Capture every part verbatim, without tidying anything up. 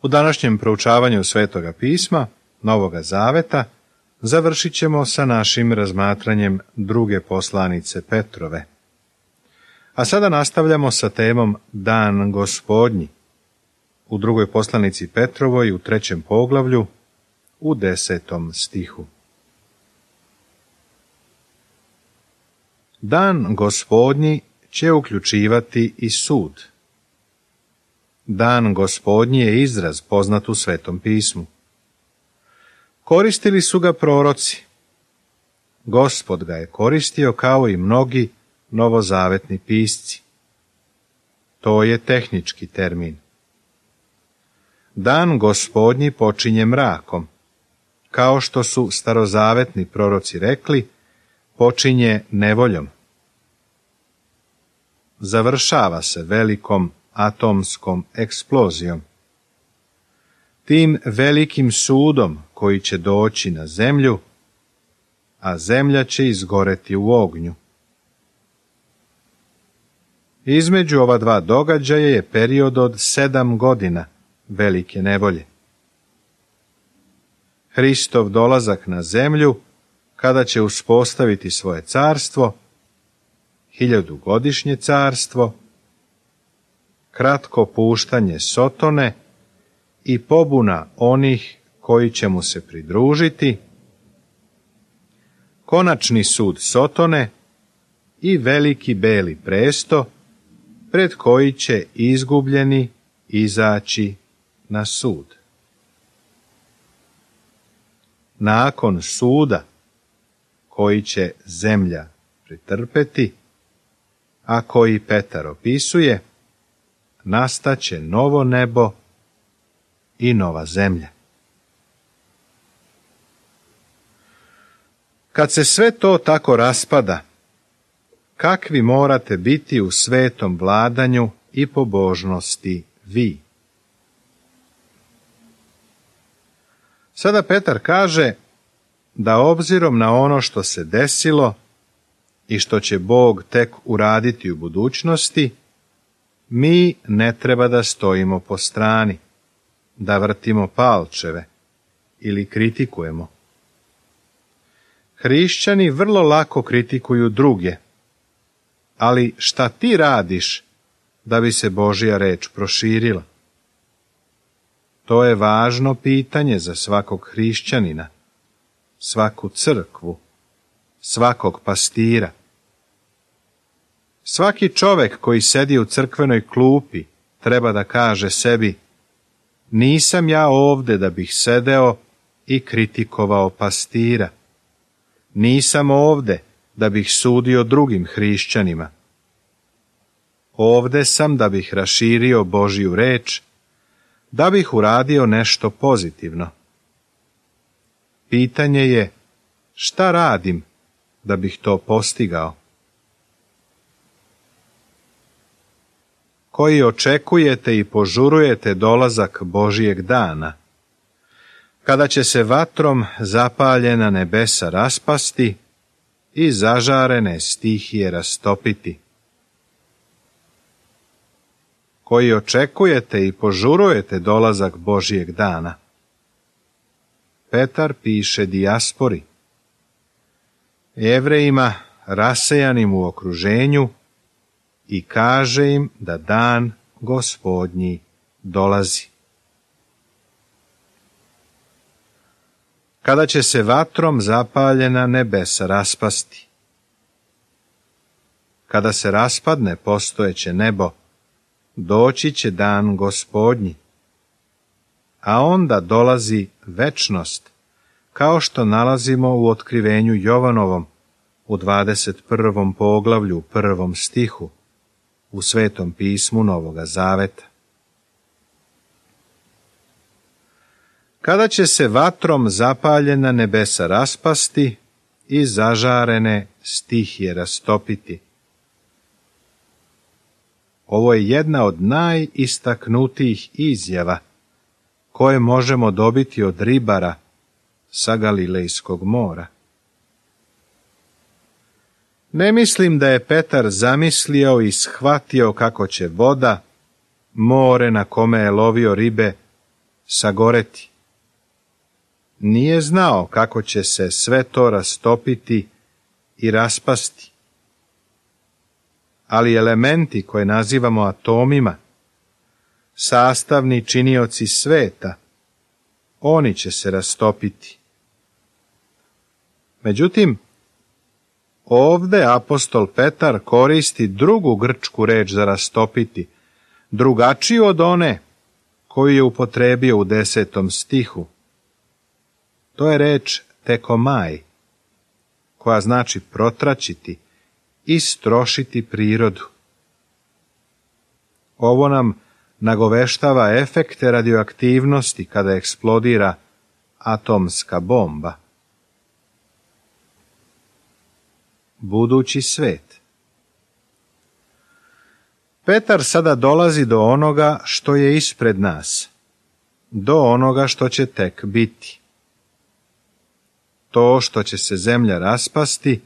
U današnjem proučavanju Svetoga pisma, Novoga zaveta, završit ćemo sa našim razmatranjem druge poslanice Petrove. A sada nastavljamo sa temom Dan Gospodnji. U drugoj poslanici Petrovoj u trećem poglavlju, u desetom stihu. Dan Gospodnji će uključivati i sud. Dan Gospodnji je izraz poznat u Svetom pismu. Koristili su ga proroci. Gospod ga je koristio kao i mnogi novozavetni pisci. To je tehnički termin. Dan Gospodnji počinje mrakom. Kao što su starozavetni proroci rekli, počinje nevoljom. Završava se velikom atomskom eksplozijom. Tim velikim sudom koji će doći na zemlju, a zemlja će izgoreti u ognju. Između ova dva događaja je period od sedam godina velike nevolje. Hristov dolazak na zemlju, kada će uspostaviti svoje carstvo, hiljadugodišnje carstvo, kratko puštanje Sotone i pobuna onih koji će mu se pridružiti, konačni sud Sotone i veliki beli presto pred koji će izgubljeni izaći na sud. Nakon suda koji će zemlja pretrpeti, a koji Petar opisuje, nastaće novo nebo i nova zemlja. Kad se sve to tako raspada, kakvi morate biti u svetom vladanju i pobožnosti vi? Sada Petar kaže da obzirom na ono što se desilo i što će Bog tek uraditi u budućnosti, mi ne treba da stojimo po strani, da vrtimo palčeve ili kritikujemo. Hrišćani vrlo lako kritikuju druge, ali šta ti radiš da bi se Božja reč proširila? To je važno pitanje za svakog hrišćanina, svaku crkvu, svakog pastira. Svaki čovek koji sedi u crkvenoj klupi treba da kaže sebi: nisam ja ovde da bih sedeo i kritikovao pastira. Nisam ovde da bih sudio drugim hrišćanima. Ovde sam da bih raširio Božju reč, da bih uradio nešto pozitivno. Pitanje je, šta radim da bih to postigao? Koji očekujete i požurujete dolazak Božijeg dana, kada će se vatrom zapaljena nebesa raspasti i zažarene stihije rastopiti. Koji očekujete i požurujete dolazak Božijeg dana. Petar piše dijaspori, Jevrejima rasejanim u okruženju, i kaže im da dan Gospodnji dolazi. Kada će se vatrom zapaljena nebesa raspasti. Kada se raspadne postojeće nebo, doći će dan Gospodnji, a onda dolazi večnost, kao što nalazimo u otkrivenju Jovanovom u dvadeset prvom poglavlju, prvom stihu, u Svetom pismu Novoga zaveta. Kada će se vatrom zapaljena nebesa raspasti i zažarene stihije rastopiti. Ovo je jedna od najistaknutijih izjava koje možemo dobiti od ribara sa Galilejskog mora. Ne mislim da je Petar zamislio i shvatio kako će voda, more na kome je lovio ribe, sagoreti. Nije znao kako će se sve to rastopiti i raspasti. Ali elementi koje nazivamo atomima, sastavni činioci sveta, oni će se rastopiti. Međutim, ovde apostol Petar koristi drugu grčku reč za rastopiti, drugačiju od one koju je upotrebio u desetom stihu. To je reč tekomaj, koja znači protraćiti, istrošiti prirodu. Ovo nam nagoveštava efekte radioaktivnosti kada eksplodira atomska bomba. Budući svet. Petar sada dolazi do onoga što je ispred nas, do onoga što će tek biti. To što će se zemlja raspasti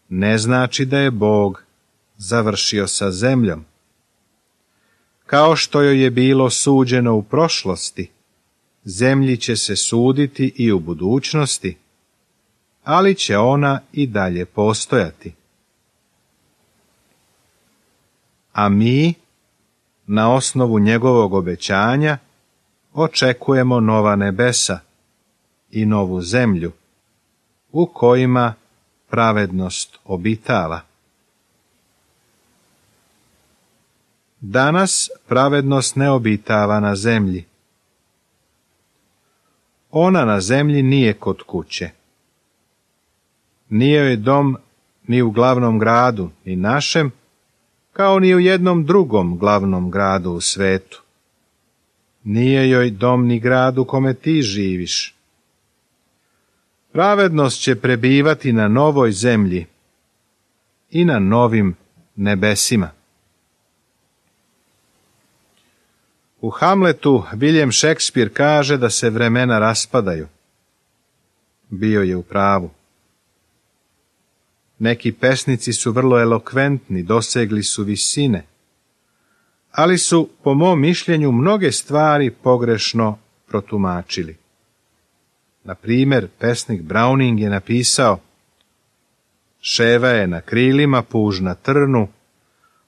ne znači da je Bog završio sa zemljom. Kao što joj je bilo suđeno u prošlosti, zemlji će se suditi i u budućnosti, ali će ona i dalje postojati. A mi, na osnovu njegovog obećanja, očekujemo nova nebesa i novu zemlju, u kojima pravednost obitava. Danas pravednost ne obitava na zemlji. Ona na zemlji nije kod kuće. Nije joj dom ni u glavnom gradu, ni našem, kao ni u jednom drugom glavnom gradu u svetu. Nije joj dom ni grad u kome ti živiš. Pravednost će prebivati na novoj zemlji i na novim nebesima. U Hamletu William Shakespeare kaže da se vremena raspadaju. Bio je u pravu. Neki pesnici su vrlo elokventni, dosegli su visine, ali su, po mom mišljenju, mnoge stvari pogrešno protumačili. Na primjer, pesnik Browning je napisao: Ševa je na krilima, puž na trnu,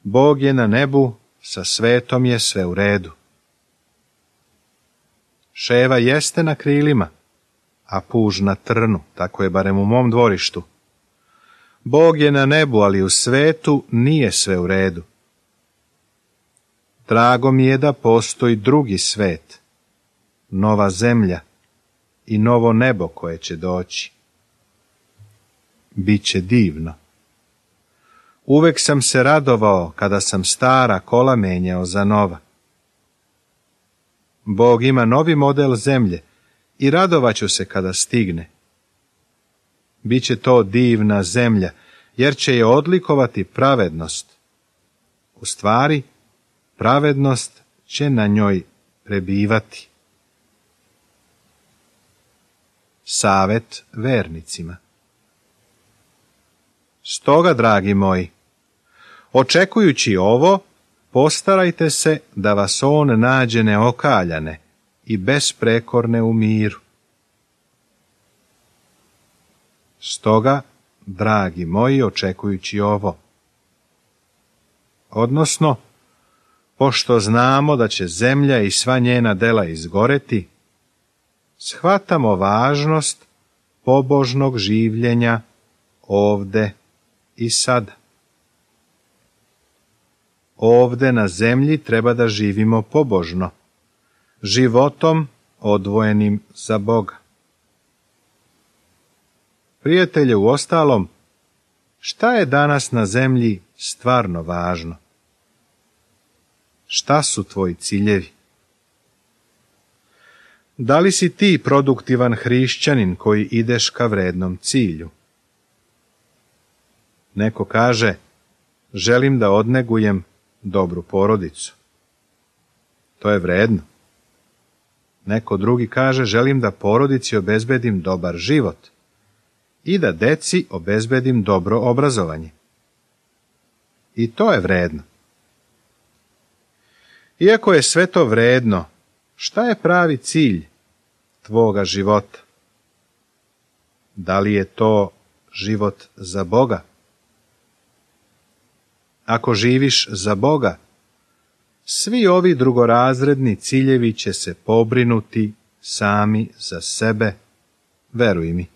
Bog je na nebu, sa svetom je sve u redu. Ševa jeste na krilima, a puž na trnu, tako je barem u mom dvorištu. Bog je na nebu, ali u svetu nije sve u redu. Drago mi je da postoji drugi svet, nova zemlja i novo nebo koje će doći. Biće divno. Uvek sam se radovao kada sam stara kola menjao za nova. Bog ima novi model zemlje i radovaću se kada stigne. Biće to divna zemlja, jer će je odlikovati pravednost. U stvari, pravednost će na njoj prebivati. Savet vernicima. Stoga, dragi moji, očekujući ovo, postarajte se da vas on nađe neokaljane i besprekorne u miru. Stoga, dragi moji, očekujući ovo, odnosno, pošto znamo da će zemlja i sva njena dela izgoreti, shvatamo važnost pobožnog življenja ovde i sada. Ovde na zemlji treba da živimo pobožno, životom odvojenim za Boga. Prijatelje, uostalom, šta je danas na zemlji stvarno važno? Šta su tvoji ciljevi? Da li si ti produktivan hrišćanin koji ideš ka vrednom cilju? Neko kaže, želim da odnegujem dobru porodicu. To je vredno. Neko drugi kaže, želim da porodici obezbedim dobar život i da deci obezbedim dobro obrazovanje. I to je vredno. Iako je sve to vredno, Šta je pravi cilj tvoga života? Da li je to život za Boga? Ako živiš za Boga, svi ovi drugorazredni ciljevi će se pobrinuti sami za sebe, veruj mi.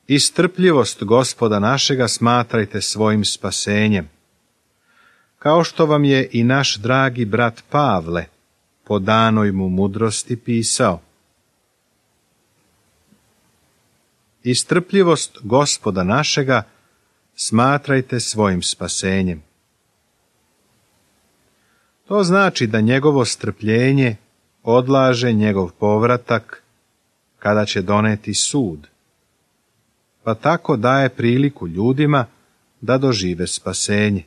I strpljivost Gospoda našega smatrajte svojim spasenjem, kao što vam je i naš dragi brat Pavle po danoj mu mudrosti pisao. I strpljivost Gospoda našega smatrajte svojim spasenjem. To znači da njegovo strpljenje odlaže njegov povratak kada će doneti sud, pa tako daje priliku ljudima da dožive spasenje.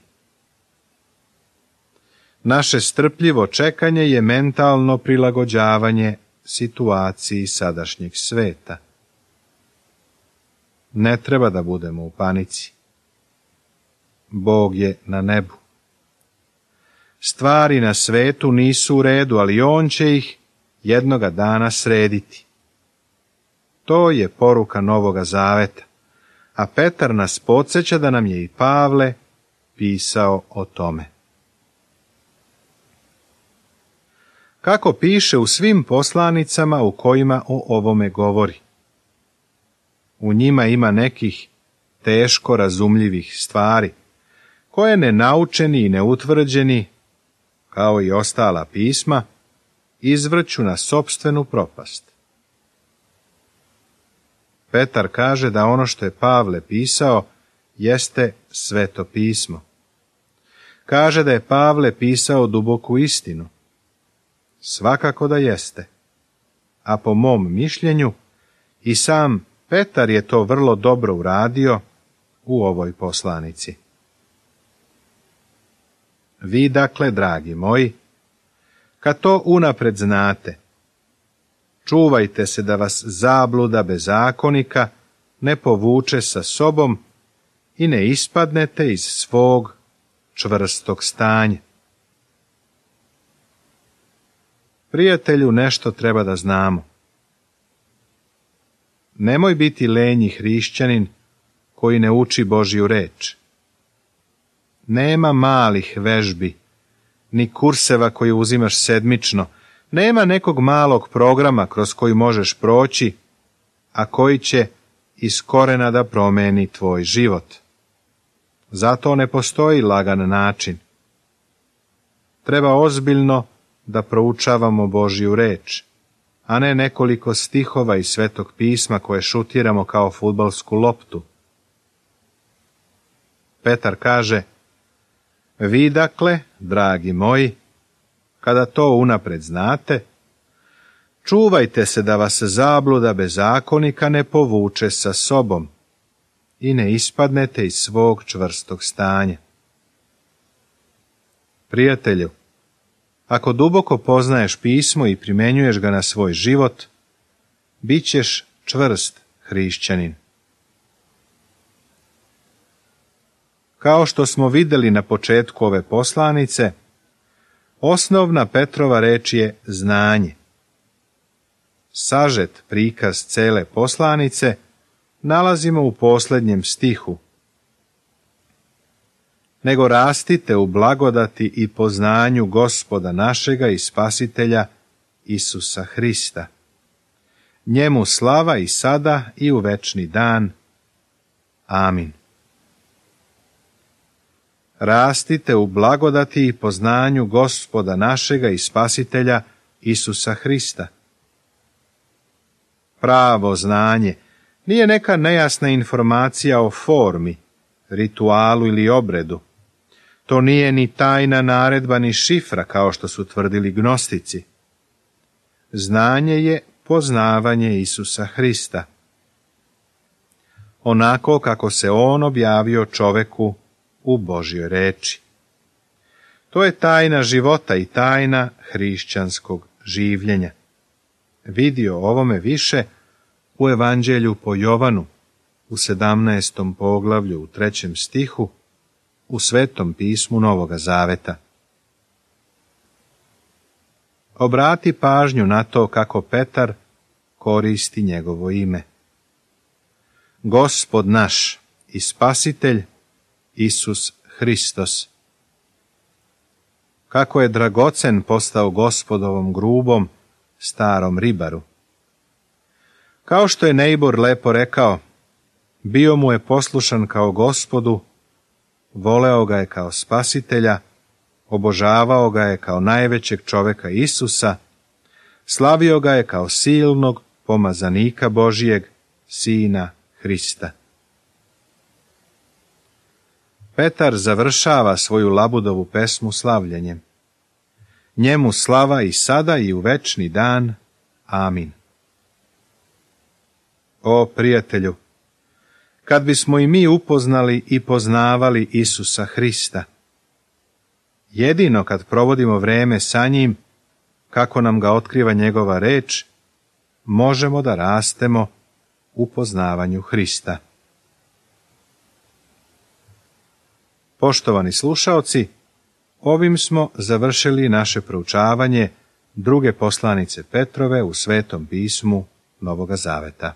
Naše strpljivo čekanje je mentalno prilagođavanje situaciji sadašnjeg sveta. Ne treba da budemo u panici. Bog je na nebu. Stvari na svetu nisu u redu, ali on će ih jednoga dana srediti. To je poruka Novoga Zaveta, a Petar nas podsjeća da nam je i Pavle pisao o tome. Kako piše u svim poslanicama u kojima o ovome govori. U njima ima nekih teško razumljivih stvari, koje nenaučeni i neutvrđeni, kao i ostala pisma, izvrću na sopstvenu propast. Petar kaže da ono što je Pavle pisao jeste Sveto pismo. Kaže da je Pavle pisao duboku istinu. Svakako da jeste. A po mom mišljenju i sam Petar je to vrlo dobro uradio u ovoj poslanici. Vi dakle, dragi moji, kad to unapred znate, čuvajte se da vas zabluda bezakonika ne povuče sa sobom i ne ispadnete iz svog čvrstog stanja. Prijatelju, nešto treba da znamo. Nemoj biti lenji hrišćanin koji ne uči Božju reč. Nema malih vežbi, ni kurseva koje uzimaš sedmično, nema nekog malog programa kroz koji možeš proći, a koji će iz korena da promeni tvoj život. Zato ne postoji lagan način. Treba ozbiljno da proučavamo Božju reč, a ne nekoliko stihova iz Svetog pisma koje šutiramo kao fudbalsku loptu. Petar kaže, vi dakle, dragi moji, kada to unapred znate, čuvajte se da vas zabluda bezakonika ne povuče sa sobom i ne ispadnete iz svog čvrstog stanja. Prijatelju, ako duboko poznaješ pismo i primjenjuješ ga na svoj život, bit ćeš čvrst hrišćanin. Kao što smo vidjeli na početku ove poslanice, osnovna Petrova reč je znanje. Sažet prikaz cele poslanice nalazimo u posljednjem stihu. Nego rastite u blagodati i poznanju Gospoda našega i Spasitelja Isusa Hrista. Njemu slava i sada i u večni dan. Amin. Rastite u blagodati i poznanju Gospoda našega i Spasitelja Isusa Hrista. Pravo znanje nije neka nejasna informacija o formi, ritualu ili obredu. To nije ni tajna naredba ni šifra kao što su tvrdili gnostici. Znanje je poznavanje Isusa Hrista, onako kako se on objavio čoveku u Božjoj reči. To je tajna života i tajna hrišćanskog življenja. Vidi o ovome više u Evanđelju po Jovanu, u sedamnaestom poglavlju, u trećem stihu, u Svetom pismu Novoga Zaveta. obrati pažnju na to kako Petar koristi njegovo ime. Gospod naš i Spasitelj Isus Hristos. Kako je dragocen postao Gospodovom grubom, starom ribaru. Kao što je Neibor lepo rekao, bio mu je poslušan kao Gospodu, voleo ga je kao Spasitelja, obožavao ga je kao najvećeg čoveka Isusa, slavio ga je kao silnog pomazanika Božijeg, Sina Hrista. Petar završava svoju Labudovu pesmu slavljenjem. Njemu slava i sada i u večni dan. Amin. O prijatelju, kad bismo i mi upoznali i poznavali Isusa Hrista, jedino kad provodimo vreme sa njim, kako nam ga otkriva njegova reč, možemo da rastemo u poznavanju Hrista. Poštovani slušaoci, ovim smo završili naše proučavanje druge poslanice Petrove u Svetom pismu Novoga Zaveta.